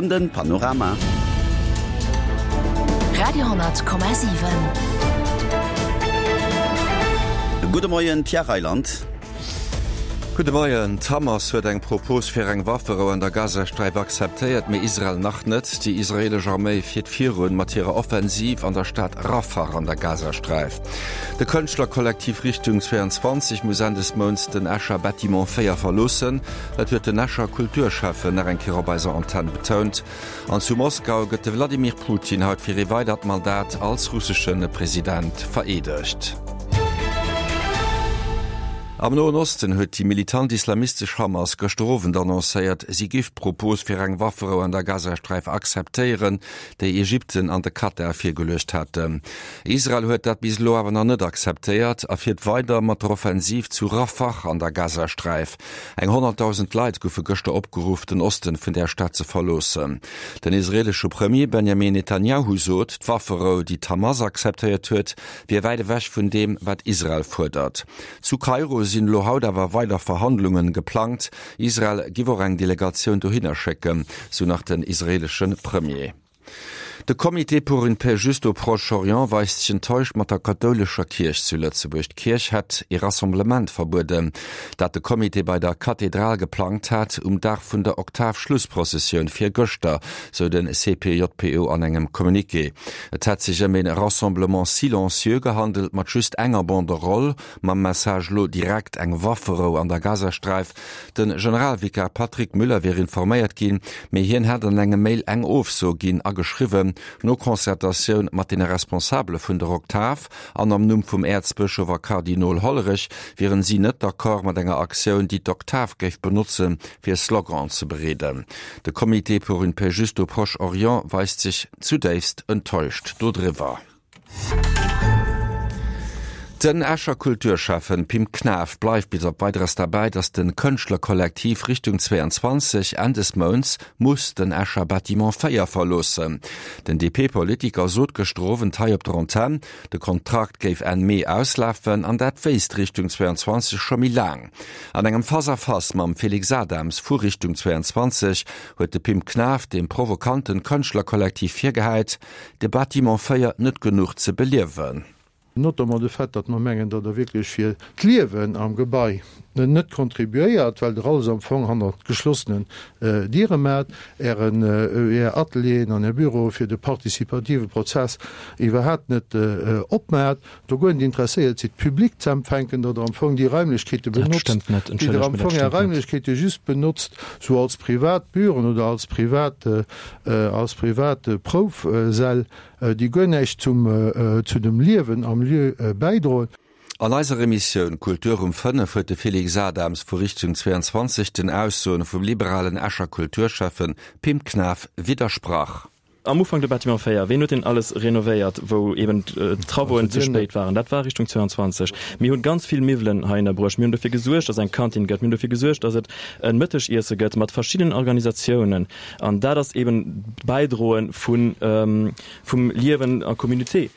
Den Panorama. Radio,7. Gudde Moien, Pierre Reyland. Gudde Moien. D'Hamas huet eng Propos fir eng Wafferou an der Gazasträif akzeptéiert, mee Israel nach net. Déi israeelesch Arméi fiert virun mat hirer Offensiv an der Stad Rafah an der Gazasträif. De Kënschtlerkollektiv Richtung 22 muss Enn des Mounts den Escher Bâtiment 4 verloossen. Dat huet den Escher Kulturschäffen nach eng Kéier op eiser Antenn betount. An zu Moskau gëtt de Wladimir Putin haut fir ee weidert Mandat als russesche President vereedegt. Am Noen Osten huet déi militant islamistesch Hamas gëschter Owend annoncéiert, si géif d'Propos fir eng Wafferou an der Gazasträif akzeptéieren, déi Ägypten an de Katar virgeluecht haten. Israel huet dat bis elo awer nach net akzeptéiert a fiert weider mat der Offensiv zu Rafah an der Gazasträif. Eng 100.000 Leit goufe gëschter opgeruff, den Osten vun där Stad ze verloossen. Den israeelesche Premier Benjamin Netanjahu sot, d'Wafferou, déi d'Hamas akzeptéiert huet, wier wäit ewech vun deem, wat Israel fuerdert. Zu Kairo sinn elo haut awer weider Verhandlungen geplangt. Israel giff och eng Delegatioun dohinner schécken, sou nach den israeelesche Premier. De Comité pour une paix juste au Proche-Orient weist sech enttäuscht mat der kathoulescher Kierch zu Lëtzebuerg. D'Kierch hätt ee Rassemblement verbueden, dat de Comité bei der Kathedral geplangt hat, um Dag vun der Oktav-Schlussprozessioun virgëschter, sou de CPJPO an engem Communiqué. Et hätt sech ëm ee Rassemblement silencieux gehandelt, mat just enger Banderole mam Message Lo direkt eng Wafferou an der Gazasträif. De Generalvikar Patrick Müller wier informéiert ginn, mee hien hätt an engem Mail eng Ofso ginn a geschriwwen, no Concertatioun mat deene Responsabele vun der Oktav an am Numm vum Äerzbëschof a Kardinol Hollerich wieren si net d'accord mat enger Aktioun, déi d'Oktav géif benotzen, fir Sloganen ze bereeden. De Comité pour une paix juste au Proche-Orient weist sech zudéifst enttäuscht dodriwwer. Den Escher Kulturschäffen Pim Knaff bleift bis op Weideres derbäi, datt de Kënschtlerkollektiv Richtung 22 Enn des Mounts muss den Escher Bâtiment 4 verloossen. Den DP-Politiker sot gëschter Owend hei op der Antenn, de Kontrakt géif Enn Mee auslafen an dat wéisst Richtung 22 scho méi laang. An engem Face-à-face mam Félix Adams vu Richtung 22 huet de Pim Knaff dem provokanten Kënschtlerkollektiv virgehäit, de Bâtiment 4 net genuch ze beliewen. Notamment de Fait, datt mer mengen, datt Der wierklech fir d'Liewen am Gebai net contribuéiert, well Der alles am Fong hannert geschlossenen Diere maacht, Ären, Är Atelieren an Är Büroe fir de participative Prozess iwwerhaapt net opmaacht, do guer net interesséiert sidd, d'Public ze empfänken, datt Der am Fong déi Raimlechkeete benotzt, déi Der am Fong Är Raimlechkeete just benotzt sou als privat Büroen oder als privat als privat Proufsäll, déi guer näischt zum, zu dem Liewen am Lieu bäidroen. An eiser Emissioun Kultur um 5 huet de Félix Adams vu Richtung 22 den Aussoen vum liberalen Escher Kulturschäffen Pim Knaff widdersprach. Am Ufank de Bâtiment 4, ween huet deen alles renovéiert, wou eben d'Travauxen ze spéit waren? Dat war Richtung 22. Mir hunn ganz vill Miwwelen heihinner bruecht. Mir hunn dofir gesuergt, dass eng Kantin gëtt. Mir hunn dofir gesuergt, dass et e Mëttegiesse gëtt mat verschiddenen Organisatiounen. An dat ass eben d'Bäidroe vum Liewen a Communauté.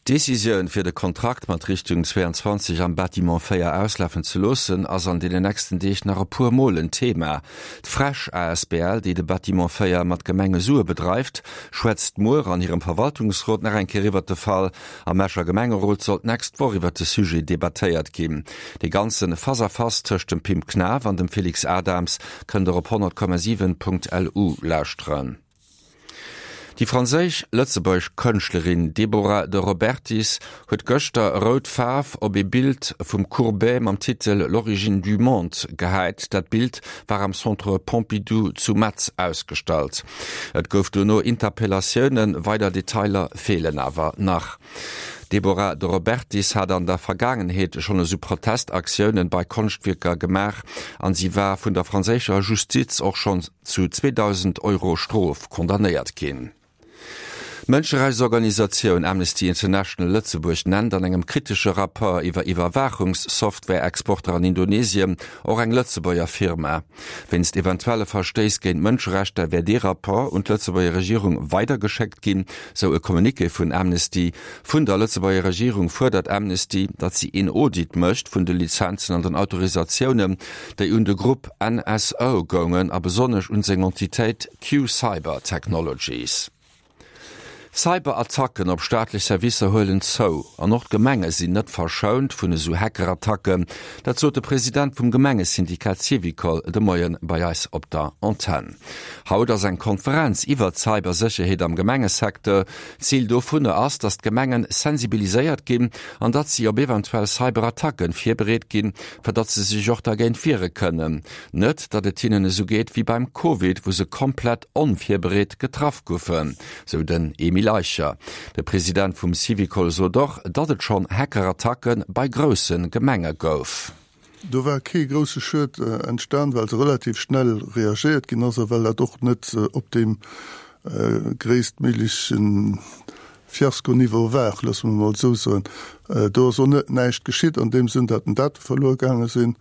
D'Decisioun, fir de Kontrakt mat Richtung 22 am Bâtiment 4 auslafen ze loossen, ass an deenen nächsten Deeg nach e puer Mol en Thema. D'Fresh asbl, déi de Bâtiment 4 mat Gemengesue bedreift, schwätzt muer an hirem Verwaltungsrot nach eng Kéier iwwert de Fall. Am Escher Gemengerot soll d'nächst Woch iwwert de Sujet debattéiert ginn. Dee ganze Face-à-Face tëscht dem Pim Knaff an dem Félix Adams kënnt der op 100,7.lu lauschteren. Déi franséisch-lëtzebuergesch Kënschtlerin Deborah de Robertis huet gëschter rout Faarf op ee Bild vum Courbet mam Titel L'origine du monde gehäit. Dat Bild war am Centre Pompidou zu Metz ausgestallt. Et gouf dono Interpellatiounen, weider Detailer feelen awer nach. D'Deborah de Robertis hat an der Vergaangenheet schonn esou Protestaktiounen bei Konschtwierker gemaach an si war vun der franséischer Justiz och schonn zu 2.000 Euro Strof condamnéiert ginn. D'Mënscherechtsorganisatioun Amnesty International Lëtzebuerg nennt an engem kritesche Rapport iwwer Iwwerwaachungssoftware-Exporter an Indonesien och eng Lëtzebuerger Firma. Wéinst eventuelle Verstéiss géint d'Mënscherechter wär dee Rapport un d'Lëtzebuerger Regierung weidergeschéckt ginn, sou e Communiqué vun Amnesty. Vun der Lëtzebuerger Regierung fuerdert Amnesty, datt si een Audit mécht vun de Lizenzen an den Autorisatiounen, déi un de Grupp NSO goungen a besonnesch un seng Entitéit Q-Cyber Technologies. Cyberattacken op staatlech Servicer huelen zou an och d'Gemenge sinn net verschount vun esou Hackerattacken. Dat sot de President vum Gemengesyndikat Syvicol de Moien bei eis op der Antenn. Haut ass eng Konferenz iwwert d'Cybersécherheet am Gemengesecteur. Zil dovunner ass, datt d'Gemengen sensibiliséiert ginn an datt si op eventuell Cyberattacken virbereet ginn, fir datt se sech och dergéint wiere kënnen. Net, datt et hinnen esou geet wéi beim Covid, wou se komplett onvirbereet getraff goufen, sou den Emile Eicher. De President vum Syvicol sot och, datt et schonn Hackerattacke bei grousse Gemenge gouf. Do war kee grousse Schued entstan, well se relativ schnell reagéiert ginn ass a well dat och net op deem gréisstméigleche Fiasko-Niveau war, loosse mer emol esou soen. Do ass och net näischt geschitt an deem Sënn, datt den Date verluer gaange sinn.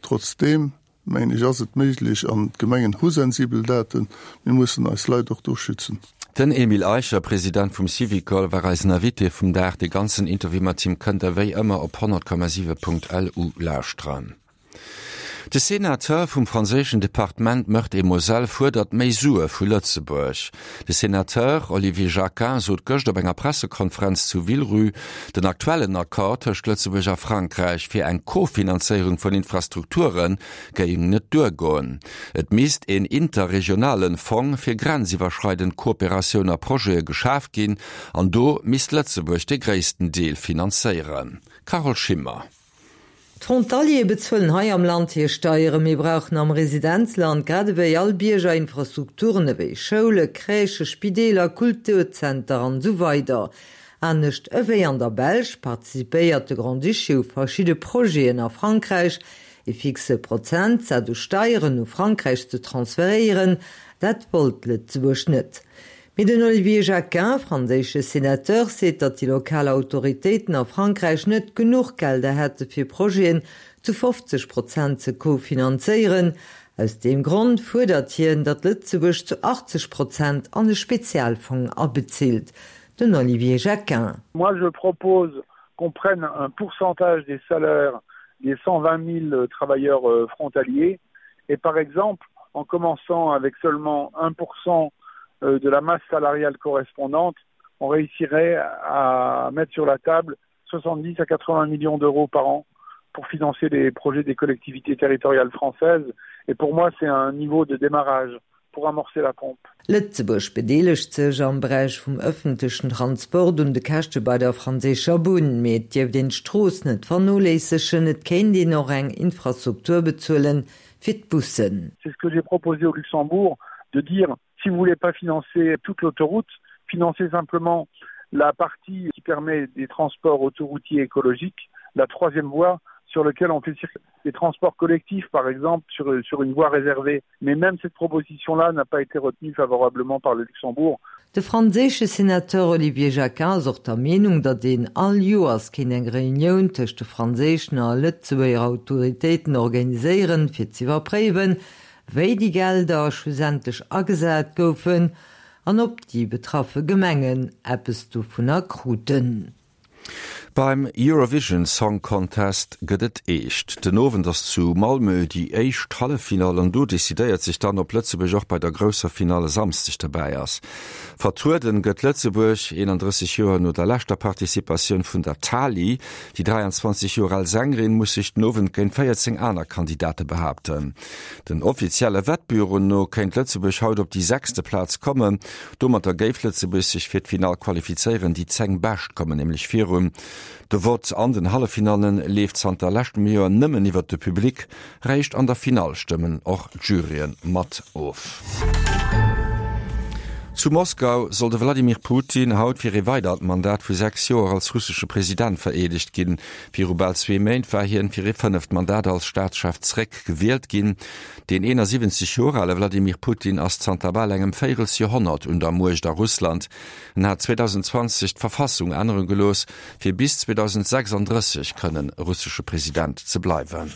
Trotzdeem, mengen ech, ass et méiglech, an d'Gemengen hu sensibel Daten, mir mussen eis Leit och do schützen. Den Emile Eicher, President vum Syvicol, war eisen Invité vum Dag. De ganzen Interview mat him kënnt der wéi ëmmer op 100,7.lu lauschteren. De Senateur vum franséischen Departement Meurthe-et-Moselle fuerdert méi Sue vu Lëtzebuerg. De Senateur Olivier Jacquin sot gëscht op enger Pressekonferenz zu Villerupt, den aktuellen Accord tëscht Lëtzebuerg a Frankräich fir eng Co-Finanzéierung vun Infrastrukture géing net duergoen. Et misst een interregionalen Fong fir grenziwwerschreidend Kooperatioun a Projete geschaf ginn an do misst Lëtzebuerg de gréissten Deel finanzéieren. Carole Schimmer. D'Frontaliere bezuelen hei am Land hir Steieren. Mir brauchen am Residenzland, grad ewéi all Bierger, Infrastrukturen ewéi Schoule, Crèchen, Spideeler, Kulturzenter an esou weider. Anescht ewéi an der Belsch participéiert de Grand-Duché u verschidde Projeten a Frankräich. E fixe Prozentsaz u Steieren u Frankräich ze transferéieren, dat wollt Lëtzebuerg net. Mee den Olivier Jacquin, franséische Sénateur, seet, datt déi lokal Autoritéiten a Frankräich net genuch Gelder hätte fir Projeten zu 50 Prozent ze co-finanzéieren. Aus deem Grond fuerdert hien, datt Lëtzebuerg zu 80 Prozent an e Spezialfong abezilt. Den Olivier Jacquin. Moi je propose qu'on prenne un pourcentage des salaires des 120 000 travailleurs euh, frontaliers et par exemple en commençant avec seulement 1% euh, de la masse salariale correspondante, on réussirait à mettre sur la table 70 à 80 millions d'euros par an pour financer les projets des collectivités territoriales françaises. Et pour moi, c'est un niveau de démarrage pour amorcer la pompe. Lëtzebuerg bedeelegt sech am Beräich vum ëffentlechen Transport un de Käschte bei der franséischer Bunn. Mee et dierft een d'Strooss net vernoléissegen, et kéint een och eng Infrastruktur bezuelen fir d'Bussen. C'est ce que j'ai proposé au Luxembourg, de dire si vous voulez pas financer toute l'autoroute, financez simplement la partie qui permet des transports autoroutiers écologiques, la troisième voie sur laquelle on fait circuler des transports collectifs par exemple sur, sur une voie réservée. Mais même cette proposition là n'a pas été retenue favorablement par le Luxembourg. De franséische Senateur Olivier Jacquin ass och der Meenung, datt een all Joers kéint eng Reunioun tëscht de franséischen a Lëtzebuerger Autoritéiten organiséieren, fir z'iwwerpréiwen, wéi déi Gelder schlussendlech agesat goufen an ob déi betraffe Gemengen eppes dovunner kruten. Beim Eurovision Song Contest gëtt et eescht. Den Owend ass zu Malmö déi éischt Halleffinall an do decidéiert sech dann, ob Lëtzebuerg och bei der grousser Finall e Samsdeg derbäi ass. Vertrueden gëtt Lëtzebuerg, 31 Joer no der leschter Participatioun vun der Tali. Déi 23 Joer al Sängerin muss sech den Owend géint 14 aner Kandidate behaapten. Den offizielle Wettbüroen no kéint Lëtzebuerg haut op déi sechste Plaz kommen. Domatter géif Lëtzebuerg sech fir d'Finall qualifizéieren. Déi 10 Bescht kommen nämlech virun. De Vott an den Halleffinalle leeft zanter leschtem Joer nëmmen iwwert de Public. Réischt an der Finall stëmmen och d'Juryen mat of. Zu Moskau soll de Wladimir Putin haut fir ee weidert Mandat vu 6 Joer als russesche President vereedegt ginn. Viru bal zwee Méint war hien fir ee fënneft Mandat als Staatschef zeréck gewielt ginn. Deen 71 Joer ale Wladimir Putin ass zanter bal engem Véierelsjoerhonnert un der Muecht a Russland. En hat 2020 d'Verfassung ännere gelooss, fir bis 2036 kënnen russesche President ze bleiwen.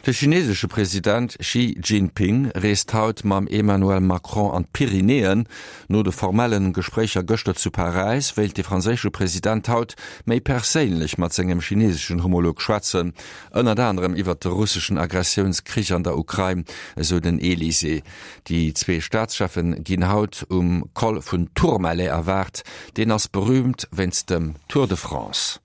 De chinesesche President Xi Jinping reest haut mam Emmanuel Macron an d'Pyrenäen. No de formelle Gespréicher gëschter zu Paräis wéilt de franséische President haut méi perséinlech mat sengem chineseschen Homolog schwätzen, ënnert anerem iwwert de russeschen Aggressiounskrich an der Ukrain, esou den Elysée. Déi zwee Staatscheffe ginn haut um Col vun Tourmalet erwaart. Deen ass berüümt wéinst dem Tour de France.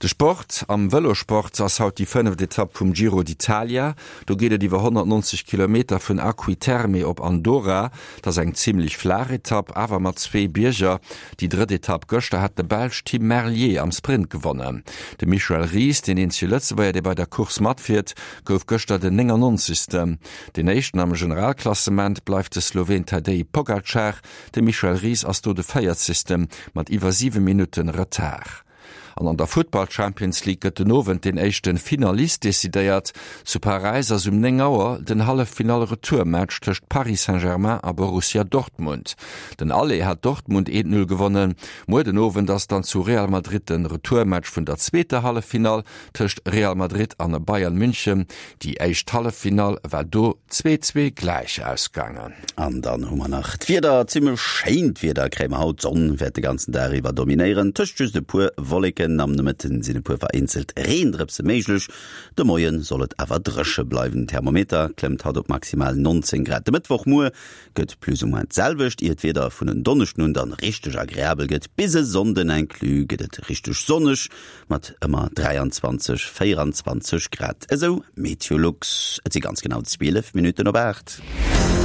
De Sport, Am Vëlosport ass haut déi fënneft Etapp vum Giro d'Italia. Do geet et iwwer 190 Kilometer vun Acqui Terme op Andorra. Et ass eng zimmlech flaach Etapp, awer mat zwee Bierger. Déi drëtt Etapp gëschter hat de Belsch Tim Merlier am Sprint gewonnen. De Michel Ries, deen eenzege Lëtzebuerger, dee bei der Course matfiert, gouf gëschter den 99. Deen éischten am Generalklassement bleift de Sloween Tadej Pogacar. De Michel Ries ass do de véierzegste mat iwwer 7 Minutte Retard. An an der Futtball-Champions League gëtt den Owend deen éischte Finalist decidéiert. Zu Paräis ass um 9 Auer den Halleffinall-Retourmatch tëscht Paris Saint-Germain a Borussia Dortmund. Den Aller hat Dortmund 1, 0 gewonnen. Muer den Owend ass dann zu Real Madrid de Retourmatch vun der zweeter Halleffinall tëscht Real Madrid an Bayern München. Déi éischt Halleffinall war do 2, 2 gläich ausgaangen. An dann hu mer nach d'Wieder. Zimmlech schéint Wieder kréie mer haut. D'Sonn wäert de ganzen Dag iwwer dominéieren, tëscht just e puer Wolleken. Am Nomëtten sinn e puer vereenzelt Reendrëpse méiglech. De Moie soll et awer dréche bleiwen. Den Thermometer klëmmt haut op maximal 19 Grad. De Mëttwochmuer gëtt plus ou moins d'selwecht, ier d'Wieder vun en Donneschden un dann richteg agreabel gëtt. Bis e Sonnden inclus gëtt et richteg sonneg. Mat ëmmer 23, 24 Grad, esou Meteolux. Et si ganz genau 12 Minutten op 8.